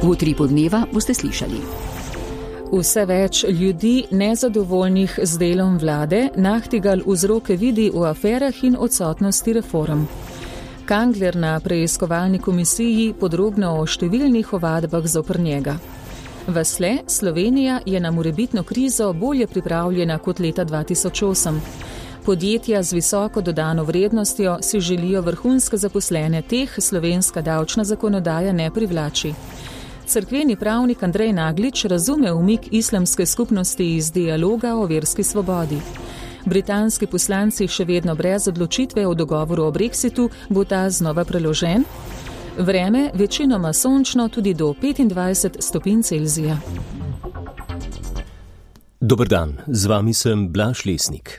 V Utripu dneva boste slišali. Vse več ljudi nezadovoljnih z delom vlade Nachtigal vzroke vidi v aferah in odsotnosti reform. Kangler na preiskovalni komisiji podrobno o številnih ovadbah zoper njega. Vasle, Slovenija je na morebitno krizo bolje pripravljena kot leta 2008. Podjetja z visoko dodano vrednostjo si želijo vrhunske zaposlene, teh slovenska davčna zakonodaja ne privlači. Cerkveni pravnik Andrej Naglič razume umik islamske skupnosti iz dialoga o verski svobodi. Britanski poslanci še vedno brez odločitve o dogovoru o Brexitu, bo ta znova preložen. Vreme večinoma sončno tudi do 25 stopinj Celzija. Dober dan, z vami sem Blaž Lesnik.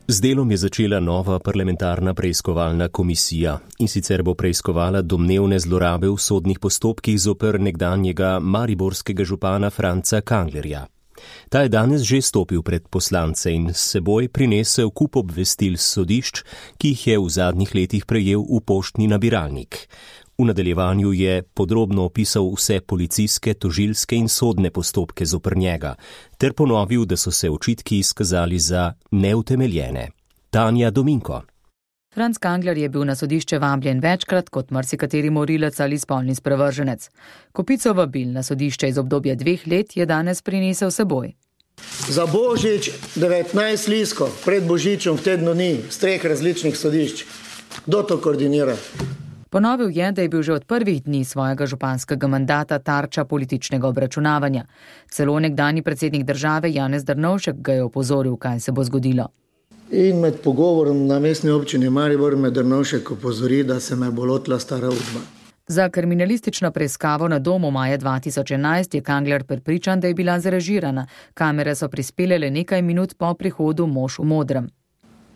Z delom je začela nova parlamentarna preiskovalna komisija in sicer bo preiskovala domnevne zlorabe v sodnih postopkih zoper nekdanjega mariborskega župana Franca Kanglerja. Ta je danes že stopil pred poslance in s seboj prinesel kup obvestil sodišč, ki jih je v zadnjih letih prejel v poštni nabiralnik. V nadaljevanju je podrobno opisal vse policijske, tožilske in sodne postopke zoper njega, ter ponovil, da so se očitki izkazali za neutemeljene. Tanja Dominko. Franc Kangler je bil na sodišče vabljen večkrat kot marsikateri morilec ali spolni sprevrženec. Kopico vabil na sodišče iz obdobja 2 let je danes prinesel seboj. Za Božič 19 listov pred Božičem v tednu dni z 3 različnih sodišč. Kdo to koordinira? Ponovil je, da je bil že od prvih dni svojega županskega mandata tarča političnega obračunavanja. Celo nekdanji predsednik države Janez Drnovšek ga je opozoril, kaj se bo zgodilo. In med pogovorom na mestni občini Maribor me Drnovšek opozori, da se me bo lotila stara Udba. Za kriminalistično preiskavo na domu maja 2011 je Kangler prepričan, da je bila zrežirana. Kamere so prispele le nekaj minut po prihodu mož v modrem.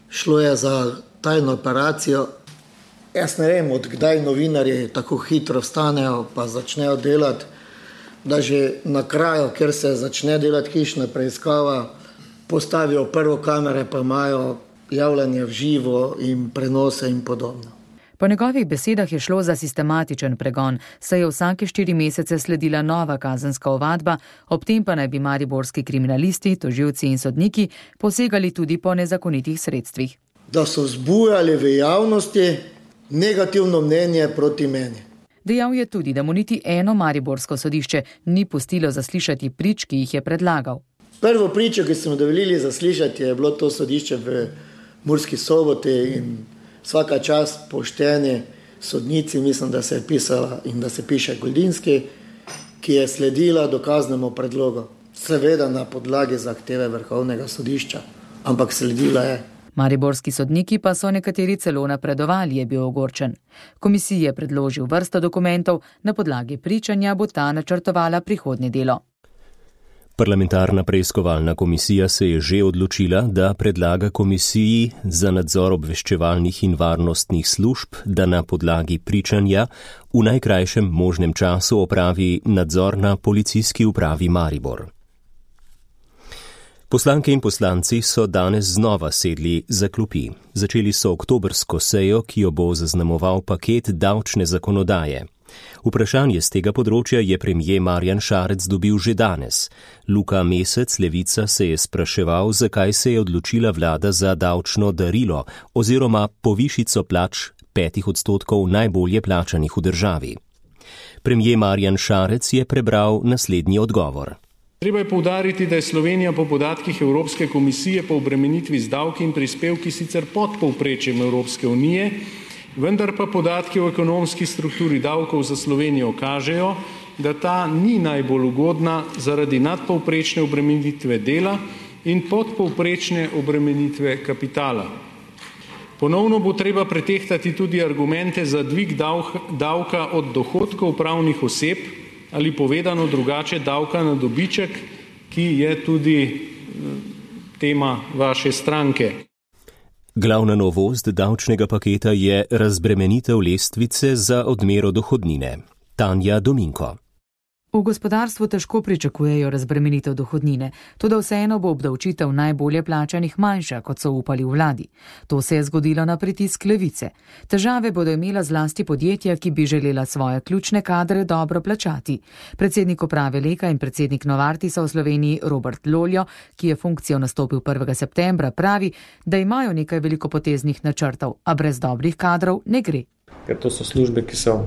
Šlo je za tajno operacijo. Jaz ne vem, od kdaj novinarji tako hitro vstanejo pa začnejo delati, da že na kraju, kjer se začne delati hišna preiskava, postavijo prvo kamere, pa imajo javljanje v živo in prenose in podobno. Po njegovih besedah je šlo za sistematičen pregon, saj je vsake 4 mesece sledila nova kazenska ovadba, ob tem pa naj bi mariborski kriminalisti, tožilci in sodniki posegali tudi po nezakonitih sredstvih. Da so vzbujali v javnosti negativno mnenje proti meni. Dejal je tudi, da mu niti eno mariborsko sodišče ni pustilo zaslišati prič, ki jih je predlagal. Prvo pričo, ki smo dovolili zaslišati, je bilo to sodišče v Murski Soboti in vsaka čast pošteni sodnici, mislim, da se je pisala in da se piše Goldinski, ki je sledila dokaznemu predlogu. Seveda na podlagi zahteve Vrhovnega sodišča, ampak sledila je. Mariborski sodniki pa so nekateri celo napredovali, je bil ogorčen. Komisiji je predložil vrsto dokumentov, na podlagi pričanja bo ta načrtovala prihodnje delo. Parlamentarna preiskovalna komisija se je že odločila, da predlaga komisiji za nadzor obveščevalnih in varnostnih služb, da na podlagi pričanja v najkrajšem možnem času opravi nadzor na policijski upravi Maribor. Poslanke in poslanci so danes znova sedli za klopi. Začeli so oktobrsko sejo, ki jo bo zaznamoval paket davčne zakonodaje. Vprašanje z tega področja je premier Marjan Šarec dobil že danes. Luka Mesec, Levica, se je spraševal, zakaj se je odločila vlada za davčno darilo oziroma povišico plač 5% najbolje plačanih v državi. Premier Marjan Šarec je prebral naslednji odgovor. Treba je poudariti, da je Slovenija po podatkih Evropske komisije po obremenitvi z davki in prispevki sicer pod povprečjem Evropske unije, vendar pa podatki o ekonomski strukturi davkov za Slovenijo kažejo, da ta ni najbolj ugodna zaradi nadpovprečne obremenitve dela in podpovprečne obremenitve kapitala. Ponovno bo treba pretehtati tudi argumente za dvig davka od dohodkov pravnih oseb ali povedano drugače davka na dobiček, ki je tudi tema vaše stranke. Glavna novost davčnega paketa je razbremenitev lestvice za odmero dohodnine. Tanja Dominko. V gospodarstvu težko pričakujejo razbremenitev dohodnine, toda vseeno bo obdavčitev najbolje plačanih manjša, kot so upali v vladi. To se je zgodilo na pritisk levice. Težave bodo imela zlasti podjetja, ki bi želela svoje ključne kadre dobro plačati. Predsednik uprave Leka in predsednik Novartisa v Sloveniji Robert Loljo, ki je funkcijo nastopil 1. septembra, pravi, da imajo nekaj velikopoteznih načrtov, a brez dobrih kadrov ne gre. Ker to so službe, ki so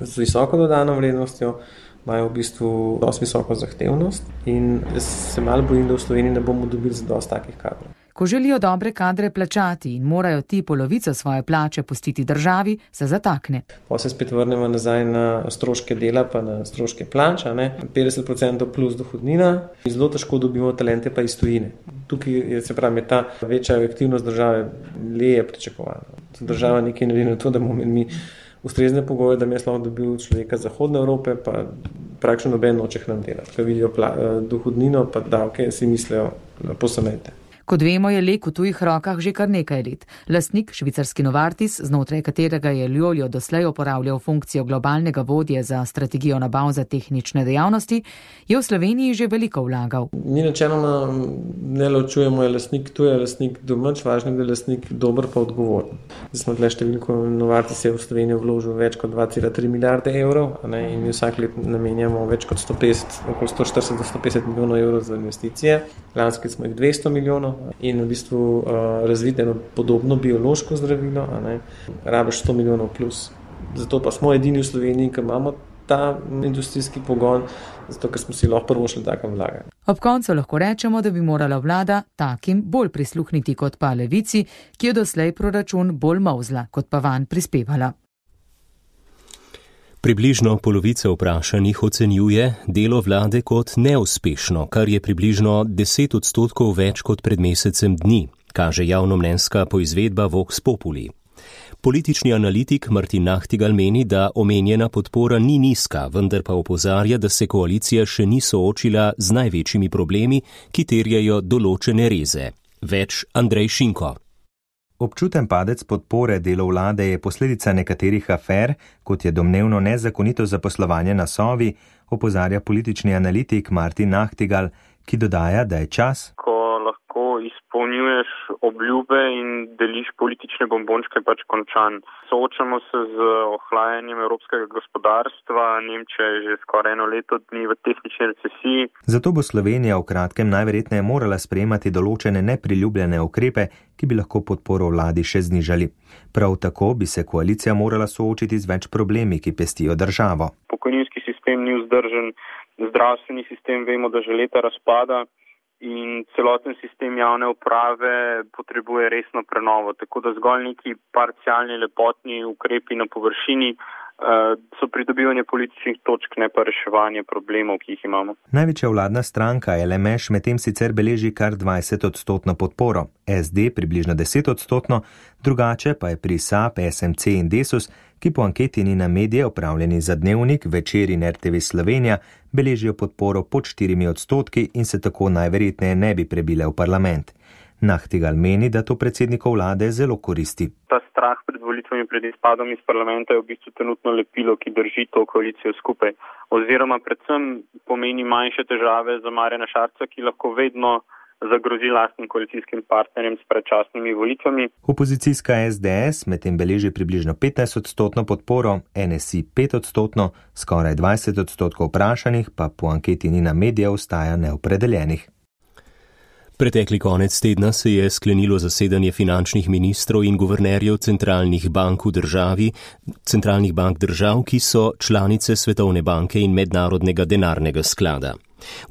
z visoko dodano vrednostjo, imajo v bistvu dosti visoko zahtevnost in se malo bojim, da v Sloveniji ne bomo dobili za dosti takih kadrov. Ko želijo dobre kadre plačati in morajo ti polovico svoje plače pustiti državi, se zatakne. Pa se spet vrnemo nazaj na stroške dela pa na stroške plača, 50% plus dohodnina. Zelo težko dobimo talente pa iz tujine. Tukaj je ta večja aktivnost države leje pričakovana. Država nekaj naredi na to, da bomo mi ustrezne pogoje, da mi je lahko dobil človeka Zahodne Evrope, pa praktično noben noče k nam delati. Ko vidijo dohodnino pa davke, si mislijo posamete. Kot vemo, je Lek v tujih rokah že kar nekaj let. Lastnik, švicarski Novartis, znotraj katerega je Loljo doslej uporabljal funkcijo globalnega vodje za strategijo nabav za tehnične dejavnosti, je v Sloveniji že veliko vlagal. Mi načeloma ne ločujemo, je lastnik tu, je lastnik domač, važno je, da je lastnik dober pa odgovoren. Zdaj smo tle številko, Novartis je v Slovenijo vložil več kot 2,3 milijarde evrov, in mi vsak let namenjamo več kot 150, okoli 140 do 150 milijonov evrov za investicije. Lanski smo jih 200 milijonov. In v bistvu razviti eno podobno biološko zdravilo, rabiš 100 milijonov plus. Zato pa smo edini v Sloveniji, ki imamo ta industrijski pogon, zato ker smo si lahko prvošli takem vlaganju. Ob koncu lahko rečemo, da bi morala vlada takim bolj prisluhniti kot pa levici, ki je doslej proračun bolj molzla, kot pa vanj prispevala. Približno polovica vprašanih ocenjuje delo vlade kot neuspešno, kar je približno 10% več kot pred mesecem dni, kaže javnomnenjska poizvedba Vox Populi. Politični analitik Martin Nachtigal meni, da omenjena podpora ni nizka, vendar pa opozarja, da se koalicija še ni soočila z največjimi problemi, ki terjajo določene reze. Več Andrej Šinko. Občuten padec podpore delu vlade je posledica nekaterih afer, kot je domnevno nezakonito zaposlovanje na Sovi, opozarja politični analitik Martin Nachtigal, ki dodaja, da je čas, ko lahko izpolnjuješ obljube in deliš politične bombončke, pač končan. Soočamo se z ohlajanjem evropskega gospodarstva, Nemčija je že skoraj 1 leto dni v tehnični recesiji. Zato bo Slovenija v kratkem najverjetneje morala sprejemati določene nepriljubljene ukrepe, ki bi lahko podporo vladi še znižali. Prav tako bi se koalicija morala soočiti z več problemi, ki pestijo državo. Pokojninski sistem ni vzdržen, zdravstveni sistem vemo, da že leta razpada in celoten sistem javne uprave potrebuje resno prenovo, tako da zgolj neki parcialni lepotni ukrepi na površini so pridobivanje političnih točk, ne pa reševanje problemov, ki jih imamo. Največja vladna stranka LMŠ medtem sicer beleži kar 20% podporo, SD približno 10%, drugače pa je pri SAB, SMC in Desus, ki po anketi Nina-Media opravljeni za Dnevnik, Večer in RTV Slovenija, beležijo podporo pod 4% in se tako najverjetneje ne bi prebile v parlament. Nachtigal meni, da to predsednikov vlade zelo koristi. Ta strah pred volitvami, pred izpadom iz parlamenta je v bistvu trenutno lepilo, ki drži to koalicijo skupaj. Oziroma predvsem pomeni manjše težave za Marjana Šarca, ki lahko vedno zagrozi lastnim koalicijskim partnerjem s predčasnimi volitvami. Opozicijska SDS medtem beleži približno 15% podporo, NSI 5%, skoraj 20% vprašanih pa po anketi Nina-Media ostaja neopredeljenih. Pretekli konec tedna se je sklenilo zasedanje finančnih ministrov in guvernerjev centralnih bank v državi, centralnih bank držav, ki so članice Svetovne banke in Mednarodnega denarnega sklada.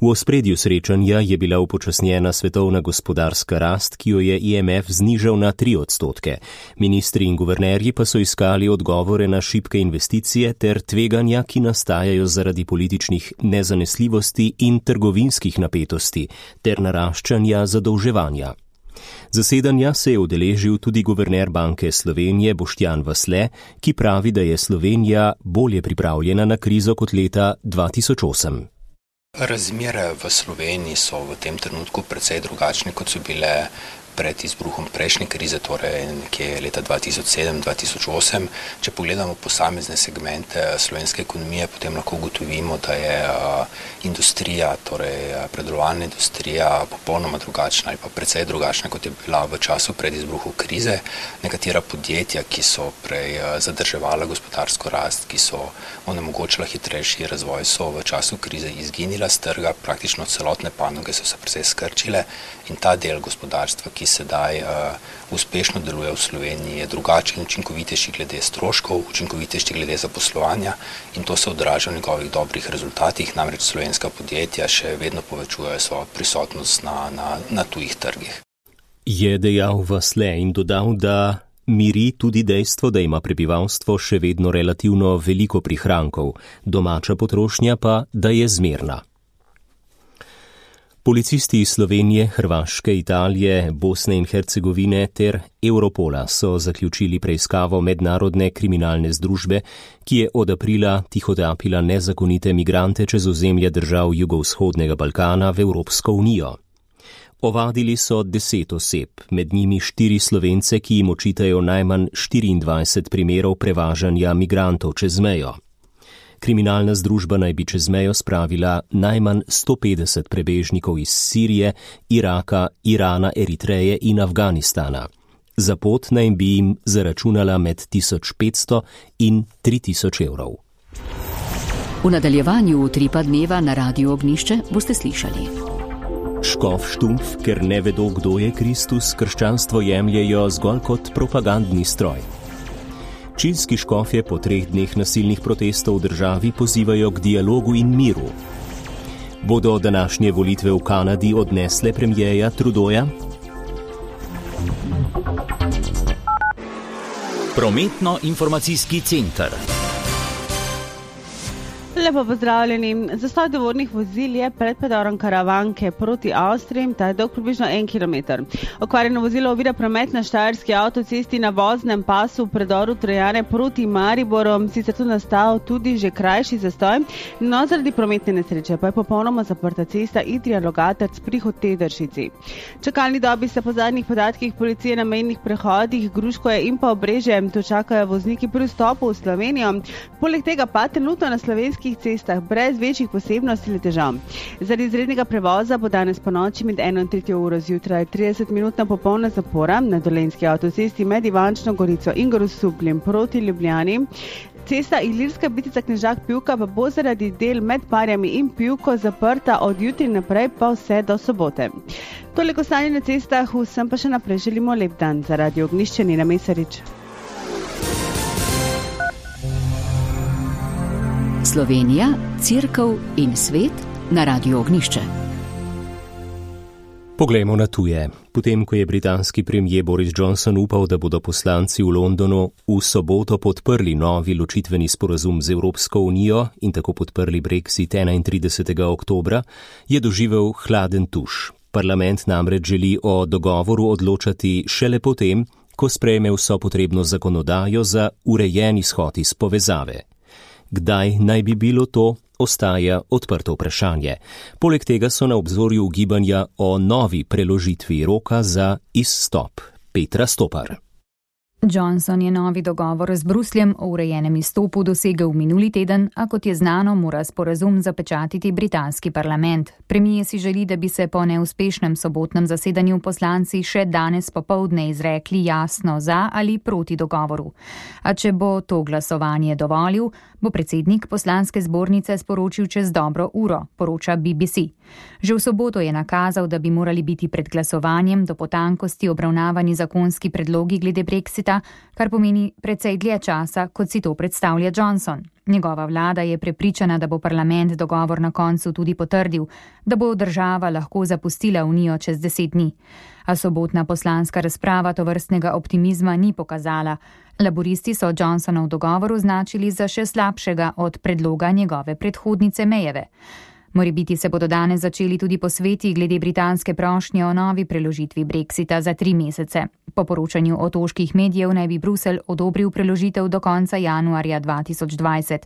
V ospredju srečanja je bila upočasnjena svetovna gospodarska rast, ki jo je IMF znižal na 3%. Ministri in guvernerji pa so iskali odgovore na šibke investicije ter tveganja, ki nastajajo zaradi političnih nezanesljivosti in trgovinskih napetosti ter naraščanja zadolževanja. Zasedanja se je udeležil tudi guverner Banke Slovenije Boštjan Vasle, ki pravi, da je Slovenija bolje pripravljena na krizo kot leta 2008. Razmere v Sloveniji so v tem trenutku precej drugačne, kot so bile pred izbruhom prejšnje krize, torej nekje leta 2007-2008. Če pogledamo posamezne segmente slovenske ekonomije, potem lahko ugotovimo, da je industrija, torej predelovalna industrija popolnoma drugačna ali pa precej drugačna, kot je bila v času pred izbruhom krize. Nekatera podjetja, ki so prej zadrževala gospodarsko rast, ki so onemogočila hitrejši razvoj, so v času krize izginila z trga, praktično celotne panoge so se precej skrčile in ta del gospodarstva, ki sedaj uspešno deluje v Sloveniji, je drugačen, učinkovitejši glede stroškov, učinkovitejši glede zaposlovanja in to se odraža v njegovih dobrih rezultatih, namreč slovenska podjetja še vedno povečujejo svojo prisotnost na tujih trgih. Je dejal Vasle in dodal, da miri tudi dejstvo, da ima prebivalstvo še vedno relativno veliko prihrankov, domača potrošnja pa, da je zmerna. Policisti iz Slovenije, Hrvaške, Italije, Bosne in Hercegovine ter Europola so zaključili preiskavo mednarodne kriminalne združbe, ki je od aprila tihotapila nezakonite migrante čez ozemlje držav jugovzhodnega Balkana v Evropsko unijo. Ovadili so 10 oseb, med njimi 4 Slovence, ki jim očitajo najmanj 24 primerov prevažanja migrantov čez mejo. Kriminalna združba naj bi čez mejo spravila najmanj 150 prebežnikov iz Sirije, Iraka, Irana, Eritreje in Afganistana. Za pot naj bi jim zaračunala med 1500 in 3000 evrov. V nadaljevanju Utripa dneva na Radiu Ognjišče boste slišali. Škof Štumpf, ker ne vedo, kdo je Kristus, krščanstvo jemljejo zgolj kot propagandni stroj. Čilski škofje po 3 dneh nasilnih protestov v državi pozivajo k dialogu in miru. Bodo današnje volitve v Kanadi odnesle premierja Trudeauja? Prometno-informacijski center. Lepo pozdravljeni. Zastoj tovornih vozil je pred predorom Karavanke proti Avstriji, ta je dolg približno 1 kilometer. Okvarjeno vozilo ovira promet na Štajerski avtocesti na voznem pasu v predoru Trojane proti Mariboru, sicer tu nastal tudi že krajši zastoj, no zaradi prometne nesreče pa je popolnoma zaprta cesta Idrija-Logatec pri Hotedršici. Čakalni dobi se po zadnjih podatkih policije na mejnih prehodih Gruškoje in pa Obrežje, tu čakajo vozniki pri vstopu v Slovenijo, poleg tega pa trenutno na slovenskih cestah brez večjih posebnosti ali težav. Zaradi izrednega prevoza bo danes po noči med 1 in 3 uro zjutraj 30-minutna popolna zapora na Dolenjski avtocesti med Ivančno Gorico in Grosupljem proti Ljubljani. Cesta Ilirska Bitica-Knežak-Pivka pa bo zaradi del med Parjami in Pivko zaprta od jutri naprej pa vse do sobote. Toliko stanje na cestah, vsem pa še naprej želimo lep dan. Za Radio Ognjišče Nina Mesarič. Slovenija, Cerkev in svet na Radiu Ognjišče. Poglejmo na tuje. Potem, ko je britanski premier Boris Johnson upal, da bodo poslanci v Londonu v soboto podprli novi ločitveni sporazum z Evropsko unijo in tako podprli Brexit 31. oktobra, je doživel hladen tuš. Parlament namreč želi o dogovoru odločati šele potem, ko sprejme vso potrebno zakonodajo za urejen izhod iz povezave. Kdaj naj bi bilo to, ostaja odprto vprašanje. Poleg tega so na obzorju ugibanja o novi preložitvi roka za izstop. Petra Stopar. Johnson je novi dogovor z Brusljem o urejenem izstopu dosegel minuli teden, a kot je znano, mora sporazum zapečatiti britanski parlament. Premier si želi, da bi se po neuspešnem sobotnem zasedanju poslanci še danes popoldne izrekli jasno za ali proti dogovoru. A če bo to glasovanje dovolil, bo predsednik poslanske zbornice sporočil čez dobro uro, poroča BBC. Že v soboto je nakazal, da bi morali biti pred glasovanjem do potankosti obravnavani zakonski predlogi glede Brexita, kar pomeni precej dlje časa, kot si to predstavlja Johnson. Njegova vlada je prepričana, da bo parlament dogovor na koncu tudi potrdil, da bo država lahko zapustila unijo čez 10 dni. A sobotna poslanska razprava tovrstnega optimizma ni pokazala. Laburisti so Johnsonov dogovor označili za še slabšega od predloga njegove predhodnice Mayjeve. Morebiti se bodo danes začeli tudi posveti glede britanske prošnje o novi preložitvi Brexita za 3 mesece. Po poročanju otoških medijev naj bi Bruselj odobril preložitev do konca januarja 2020.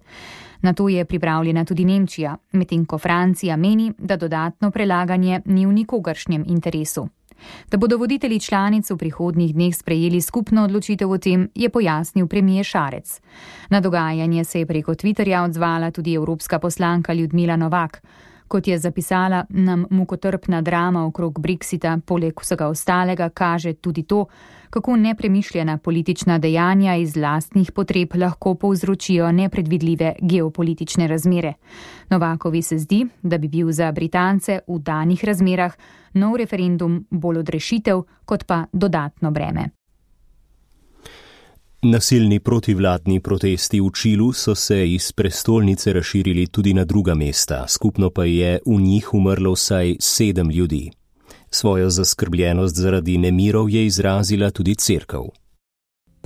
Na to je pripravljena tudi Nemčija, medtem ko Francija meni, da dodatno prelaganje ni v nikogaršnjem interesu. Da bodo voditelji članic v prihodnjih dneh sprejeli skupno odločitev o tem, je pojasnil premier Šarec. Na dogajanje se je preko Twitterja odzvala tudi evropska poslanka Ljudmila Novak. Kot je zapisala, nam mukotrpna drama okrog Brexita poleg vsega ostalega kaže tudi to, kako nepremišljena politična dejanja iz lastnih potreb lahko povzročijo nepredvidljive geopolitične razmere. Novakovi se zdi, da bi bil za Britance v danih razmerah nov referendum bolj odrešitev kot pa dodatno breme. Nasilni protivladni protesti v Čilu so se iz prestolnice razširili tudi na druga mesta, skupno pa je v njih umrlo vsaj 7 ljudi. Svojo zaskrbljenost zaradi nemirov je izrazila tudi cerkev.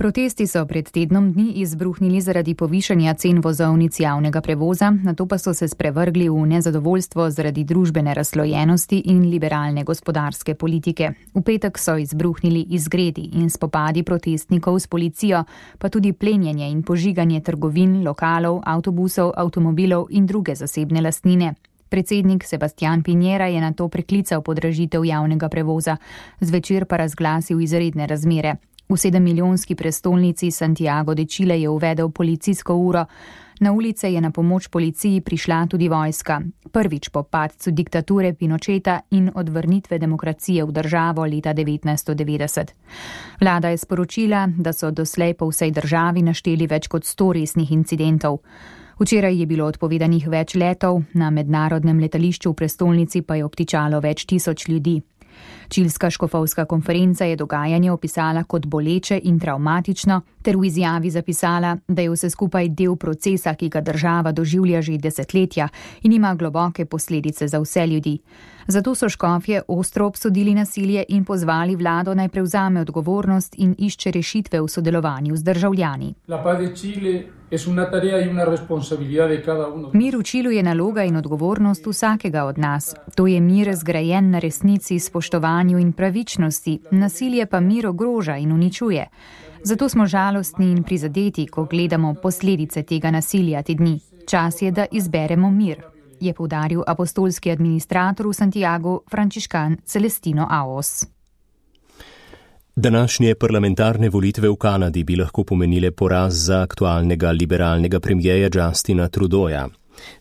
Protesti so pred tednom dni izbruhnili zaradi povišanja cen vozovnic javnega prevoza, nato pa so se sprevrgli v nezadovoljstvo zaradi družbene razslojenosti in liberalne gospodarske politike. V petek so izbruhnili izgredi in spopadi protestnikov s policijo, pa tudi plenjenje in požiganje trgovin, lokalov, avtobusov, avtomobilov in druge zasebne lastnine. Predsednik Sebastián Piñera je nato preklical podražitev javnega prevoza, zvečer pa razglasil izredne razmere. V 7-milijonski prestolnici Santiago de Chile je uvedel policijsko uro. Na ulice je na pomoč policiji prišla tudi vojska. Prvič po padcu diktature Pinocheta in odvrnitve demokracije v državo leta 1990. Vlada je sporočila, da so doslej po vsej državi našteli več kot 100 resnih incidentov. Včeraj je bilo odpovedanih več letov, na mednarodnem letališču v prestolnici pa je obtičalo več tisoč ljudi. Čilska škofovska konferenca je dogajanje opisala kot boleče in travmatično, ter v izjavi zapisala, da je vse skupaj del procesa, ki ga država doživlja že desetletja in ima globoke posledice za vse ljudi. Zato so škofje ostro obsodili nasilje in pozvali vlado naj prevzame odgovornost in išče rešitve v sodelovanju z državljani. Mir v Čilu je naloga in odgovornost vsakega od nas. To je mir zgrajen na resnici, spoštovanju in pravičnosti, nasilje pa mir ogroža in uničuje. Zato smo žalostni in prizadeti, ko gledamo posledice tega nasilja te dni. Čas je, da izberemo mir, je poudaril apostolski administrator v Santiagu, frančiškan Celestino Aos. Današnje parlamentarne volitve v Kanadi bi lahko pomenile poraz za aktualnega liberalnega premijeja Justina Trudeauja.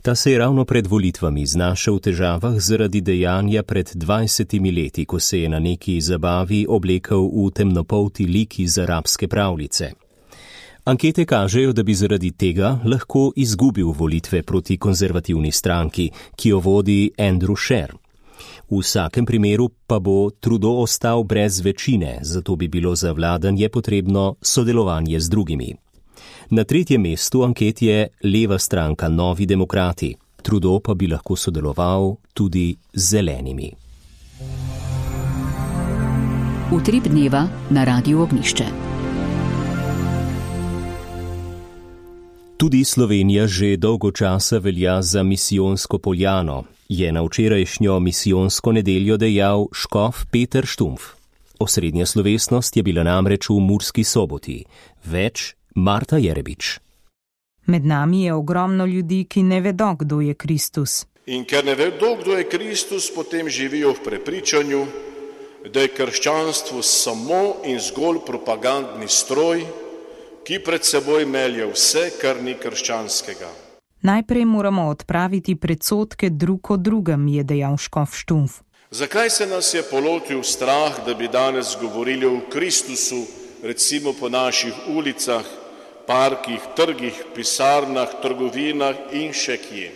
Ta se je ravno pred volitvami znašel v težavah zaradi dejanja pred 20 leti, ko se je na neki zabavi oblekel v temnopolti lik iz arabske pravljice. Ankete kažejo, da bi zaradi tega lahko izgubil volitve proti konzervativni stranki, ki jo vodi Andrew Scheer. V vsakem primeru pa bo Trudeau ostal brez večine, zato bi bilo za vladanje potrebno sodelovanje z drugimi. Na 3. mestu anket je leva stranka Novi demokrati, Trudeau pa bi lahko sodeloval tudi z zelenimi. Utrip dneva na Radiu Ognjišče. Tudi Slovenija že dolgo časa velja za misijonsko poljano, je na včerajšnjo misijonsko nedeljo dejal škof Peter Štumpf. Osrednja slovesnost je bila namreč v Murski Soboti. Več Marta Jerebič. Med nami je ogromno ljudi, ki ne vedo, kdo je Kristus. In ker ne vedo, kdo je Kristus, potem živijo v prepričanju, da je krščanstvo samo in zgolj propagandni stroj, ki pred seboj melje vse, kar ni krščanskega. Najprej moramo odpraviti predsodke drug o drugem, je dejal škof Štumpf. Zakaj se nas je polotil strah, da bi danes govorili o Kristusu, recimo po naših ulicah, parkih, trgih, pisarnah, trgovinah in še kje?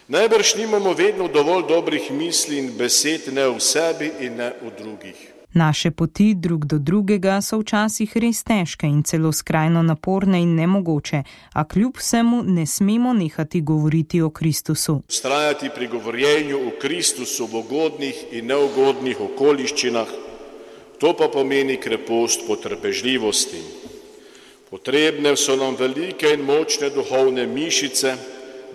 Najbrž nimamo vedno dovolj dobrih misli in besed ne v sebi in ne v drugih. Naše poti drug do drugega so včasih res težke in celo skrajno naporne in nemogoče, a kljub vsemu ne smemo nehati govoriti o Kristusu. Vztrajati pri govorjenju o Kristusu v ugodnih in neugodnih okoliščinah, to pa pomeni krepost potrpežljivosti. Potrebne so nam velike in močne duhovne mišice,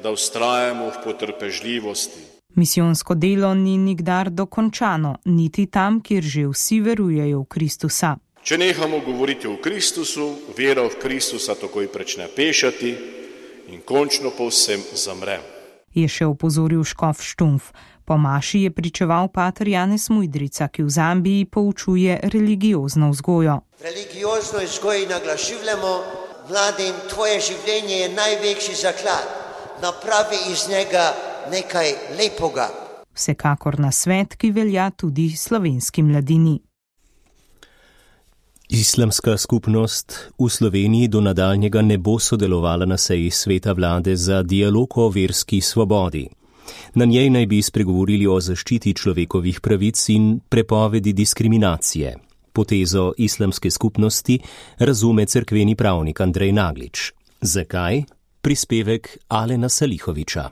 da vztrajamo v potrpežljivosti. Misijonsko delo ni nikdar dokončano, niti tam, kjer že vsi verujejo v Kristusa. Če nehamo govoriti o Kristusu, vera v Kristusa takoj prične pešati in končno povsem zamre. Je še opozoril škof Štumf. Po maši je pričeval pater Janez Mujdrica, ki v Zambiji poučuje religiozno vzgojo. Religiozno vzgojo naglašujemo, mladim, tvoje življenje je največji zaklad. Napravi iz njega nekaj lepega. Vsekakor na svet, ki velja tudi slovenski mladini. Islamska skupnost v Sloveniji do nadaljnjega ne bo sodelovala na seji sveta vlade za dialog o verski svobodi. Na njej naj bi spregovorili o zaščiti človekovih pravic in prepovedi diskriminacije. Potezo islamske skupnosti razume cerkveni pravnik Andrej Naglič. Zakaj? Prispevek Alena Salihoviča.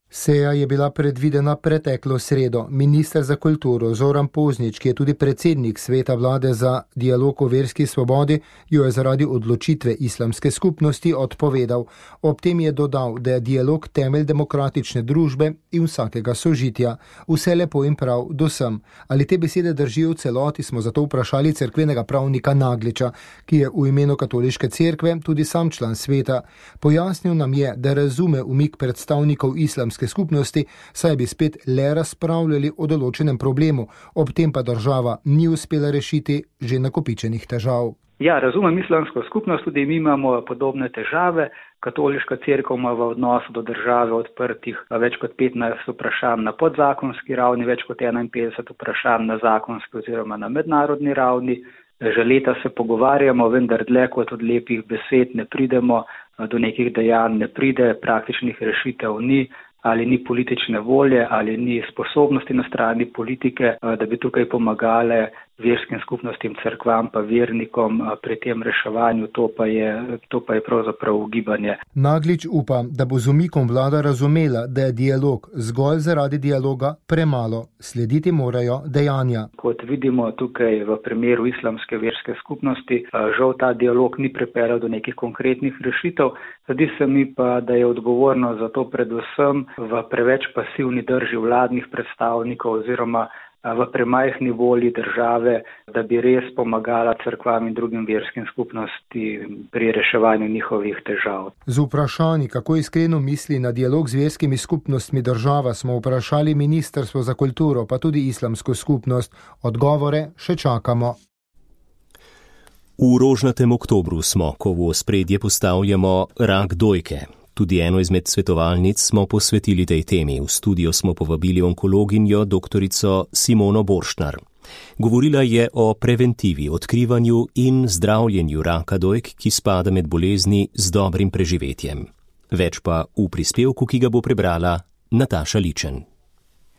Seja je bila predvidena preteklo sredo. Minister za kulturo Zoran Poznič, ki je tudi predsednik sveta vlade za dialog o verski svobodi, jo je zaradi odločitve islamske skupnosti odpovedal. Ob tem je dodal, da je dialog temelj demokratične družbe in vsakega sožitja. Vse lepo in prav do sem. Ali te besede držijo v celoti, smo zato vprašali cerkvenega pravnika Nagliča, ki je v imenu katoliške cerkve tudi sam član sveta. Pojasnil nam je, da razume umik predstavnikov islamske skupnosti, saj bi spet le razpravljali o določenem problemu, ob tem pa država ni uspela rešiti že nakopičenih težav. Ja, razumem islamsko skupnost, tudi mi imamo podobne težave. Katoliška cerkev ima v odnosu do države odprtih več kot 15 vprašanj na podzakonski ravni, več kot 51 vprašanj na zakonski oziroma na mednarodni ravni. Že leta se pogovarjamo, vendar dlje kot od lepih besed ne pridemo, do nekih dejanj ne pride, praktičnih rešitev ni. Ali ni politične volje, ali ni sposobnosti na strani politike, da bi tukaj pomagale verskim skupnostim, cerkvam pa vernikom pri tem reševanju, to pa je pravzaprav ugibanje. Naglič upa, da bo z umikom vlada razumela, da je dialog zgolj zaradi dialoga premalo. Slediti morajo dejanja. Kot vidimo tukaj v primeru islamske verske skupnosti, žal ta dialog ni pripeljal do nekih konkretnih rešitev. Zdi se mi pa, da je odgovorno za to predvsem v preveč pasivni drži vladnih predstavnikov oziroma v premajhni volji države, da bi res pomagala cerkvam in drugim verskim skupnosti pri reševanju njihovih težav. Z vprašanji, kako iskreno misli na dialog z verskimi skupnostmi država, smo vprašali Ministrstvo za kulturo, pa tudi islamsko skupnost. Odgovore še čakamo. V rožnatem oktobru smo, ko v ospredje postavljamo rak dojke. Tudi eno izmed svetovalnic smo posvetili tej temi. V studio smo povabili onkologinjo doktorico Simono Borštnar. Govorila je o preventivi, odkrivanju in zdravljenju raka dojk, ki spada med bolezni z dobrim preživetjem. Več pa v prispevku, ki ga bo prebrala Nataša Ličen.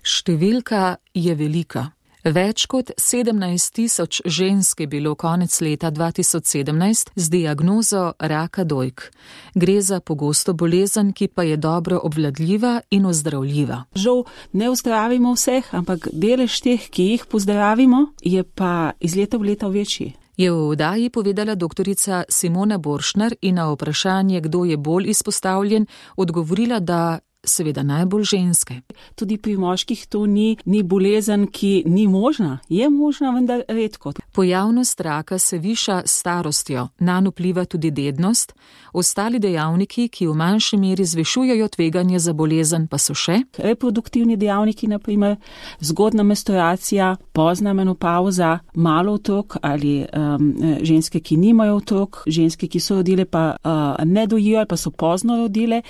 Številka je velika. Več kot 17.000 žensk je bilo konec leta 2017 z diagnozo raka dojk. Gre za pogosto bolezen, ki pa je dobro obvladljiva in ozdravljiva. Žal ne ozdravimo vseh, ampak delež teh, ki jih pozdravimo, je pa iz leta v leto večji. Je v oddaji povedala doktorica Simona Borštnar in na vprašanje, kdo je bolj izpostavljen, odgovorila, da seveda najbolj ženske. Tudi pri moških to ni bolezen, ki ni možna. Je možna, vendar redko. Pojavnost raka se viša s starostjo, nanj vpliva tudi dednost. Ostali dejavniki, ki v manjši meri zvišujejo tveganje za bolezen, pa so še reproduktivni dejavniki, na primer zgodna menstruacija, pozna menopauza, malo otrok ali ženske, ki nimajo otrok, ženske, ki so rodile pa ne dojijo ali pa so pozno rodile.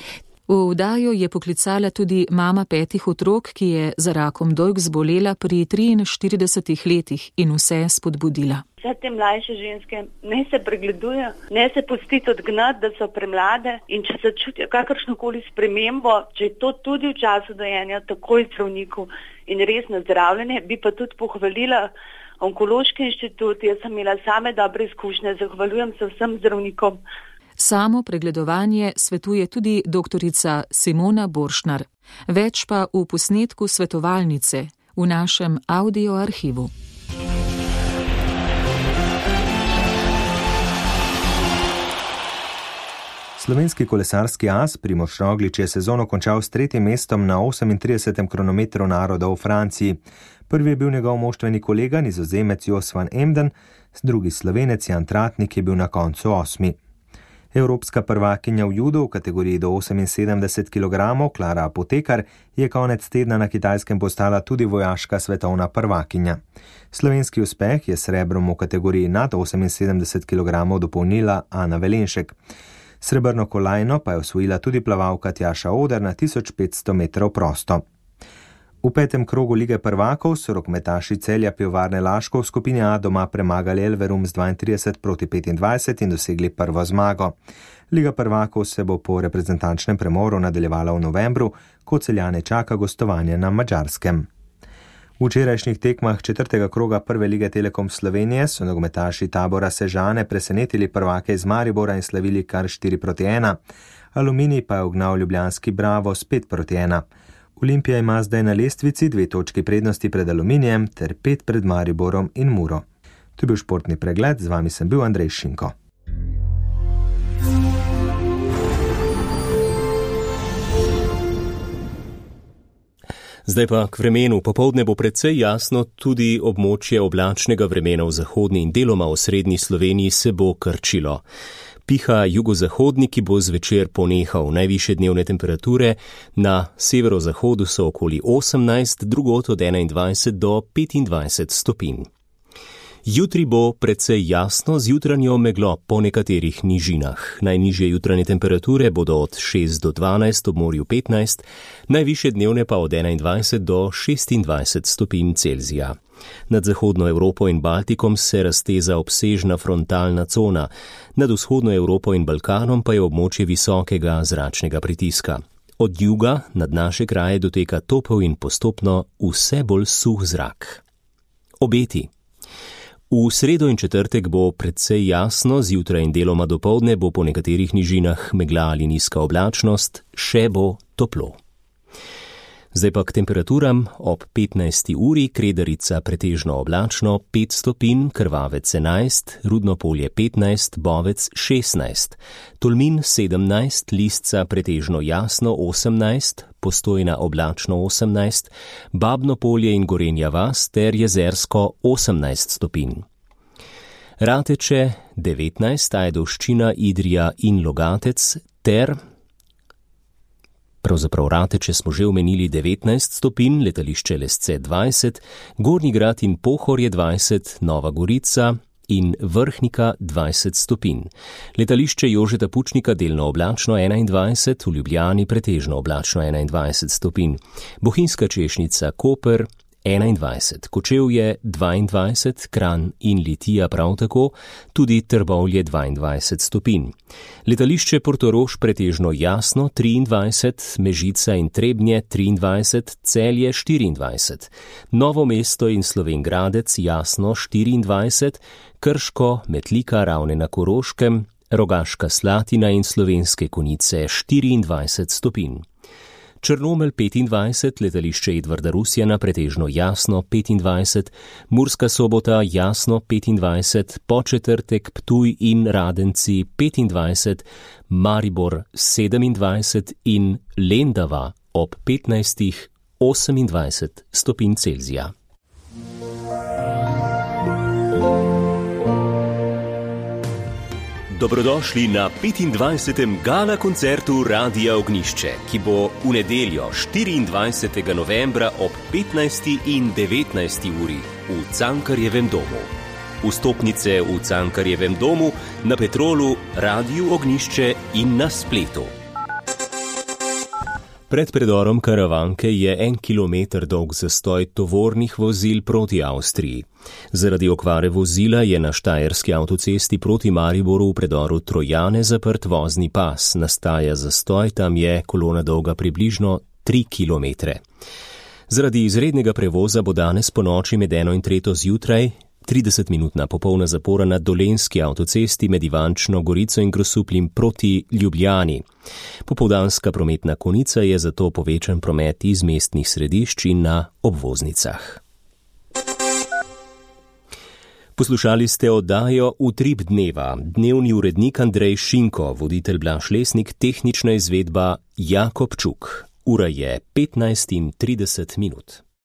V oddajo je poklicala tudi mama 5 otrok, ki je za rakom dojk zbolela pri 43 letih in vse spodbudila. Vse te mlajše ženske ne se pregledujejo, ne se pustiti odgnati, da so premlade in če se čutijo kakršnokoli spremembo, če je to tudi v času dojenja, takoj zdravniku in res na zdravljenje, bi pa tudi pohvalila Onkološki inštitut. Jaz sem imela same dobre izkušnje, zahvaljujem se vsem zdravnikom. Samo pregledovanje svetuje tudi doktorica Simona Borštnar. Več pa v posnetku svetovalnice v našem audio arhivu. Slovenski kolesarski as Primož Roglič je sezono končal s 3. mestom na 38. kronometru narodov v Franciji. Prvi je bil njegov moštveni kolega, Nizozemec Jos van Emden, drugi Slovenec Jan Tratnik je bil na koncu 8. Evropska prvakinja v judu v kategoriji do 78 kg Klara Apotekar je konec tedna na Kitajskem postala tudi vojaška svetovna prvakinja. Slovenski uspeh je srebrom v kategoriji nad 78 kg dopolnila Ana Velenšek. Srebrno kolajno pa je osvojila tudi plavalka Tjaša Oder na 1500 metrov prosto. V 5. krogu Lige prvakov so rokometaši Celja Pivovarne Laško v skupini A doma premagali Elverum z 32-25 in dosegli prvo zmago. Liga prvakov se bo po reprezentančnem premoru nadaljevala v novembru, ko Celjane čaka gostovanje na Madžarskem. V včerajšnjih tekmah 4. kroga Prve lige Telekom Slovenije so nogometaši Tabora Sežane presenetili prvake iz Maribora in slavili kar 4-1. Aluminij pa je ugnal ljubljanski Bravo s 5-1. Olimpija ima zdaj na lestvici 2 točki prednosti pred Aluminijem ter 5 pred Mariborom in Muro. To je bil športni pregled, z vami sem bil Andrej Šinko. Zdaj pa k vremenu. Popoldne bo precej jasno, tudi območje oblačnega vremena v zahodni in deloma v srednji Sloveniji se bo krčilo. Piha jugozahodni, ki bo zvečer ponehal. Najvišje dnevne temperature na severozahodu so okoli 18, drugod od 21 do 25 stopinj. Jutri bo precej jasno z jutranjo meglo po nekaterih nižinah. Najnižje jutranje temperature bodo od 6 do 12, ob morju 15, najvišje dnevne pa od 21 do 26 stopinj Celzija. Nad zahodno Evropo in Baltikom se razteza obsežna frontalna cona, nad vzhodno Evropo in Balkanom pa je območje visokega zračnega pritiska. Od juga nad naše kraje doteka topel in postopno vse bolj suh zrak. Obeti. V sredo in četrtek bo precej jasno, zjutraj in deloma dopoldne bo po nekaterih nižinah megla ali nizka oblačnost, še bo toplo. Zdaj pa k temperaturam. Ob 15. uri Kredarica pretežno oblačno 5 stopinj, Krvavec 11, Rudno Polje 15, Bovec 16, Tolmin 17, Lisca pretežno jasno 18, Postojna oblačno 18, Babno Polje in Gorenja vas ter Jezersko 18 stopinj. Rateče 19, Ajdovščina, Idrija in Logatec ter pravzaprav Rateče smo že omenili 19 stopinj, letališče Lesce 20, Gornji Grad in Pohorje 20, Nova Gorica in Vrhnika 20 stopinj. Letališče Jožeta Pučnika delno oblačno 21, v Ljubljani pretežno oblačno 21 stopinj. Bohinjska Češnica, Koper 21, Kočevje 22, Kranj in Litija prav tako, tudi Trbovlje 22 stopinj. Letališče Portorož pretežno jasno 23, Mežica in Trebnje 23, Celje 24, Novo mesto in Slovenj Gradec jasno 24, Krško, Metlika, Ravne na Koroškem, Rogaška Slatina in Slovenske Konjice 24 stopinj. Črnomelj 25, letališče Edvarda Rusjana pretežno jasno 25, Murska Sobota jasno 25, Podčetrtek, Ptuj in Radenci 25, Maribor 27 in Lendava ob 15, 28 stopinj Celzija. Dobrodošli na 25. gala koncertu Radia Ognjišče, ki bo v nedeljo 24. novembra ob 15. in 19. uri v Cankarjevem domu. Vstopnice v Cankarjevem domu, na Petrolu, Radiu Ognjišče in na spletu. Pred predorom Karavanke je 1 kilometer dolg zastoj tovornih vozil proti Avstriji. Zaradi okvare vozila je na štajerski avtocesti proti Mariboru v predoru Trojane zaprt vozni pas. Nastaja zastoj, tam je kolona dolga približno 3 kilometre. Zaradi izrednega prevoza bo danes po noči med 1 in 3 zjutraj 30-minutna popolna zapora na Dolenjski avtocesti med Ivančno Gorico in Grosupljem proti Ljubljani. Popoldanska prometna konica je zato povečan promet iz mestnih središč in na obvoznicah. Poslušali ste oddajo Utrip dneva, dnevni urednik Andrej Šinko, voditelj Blaž Lesnik, tehnična izvedba Jakob Čuk. Ura je 15:30.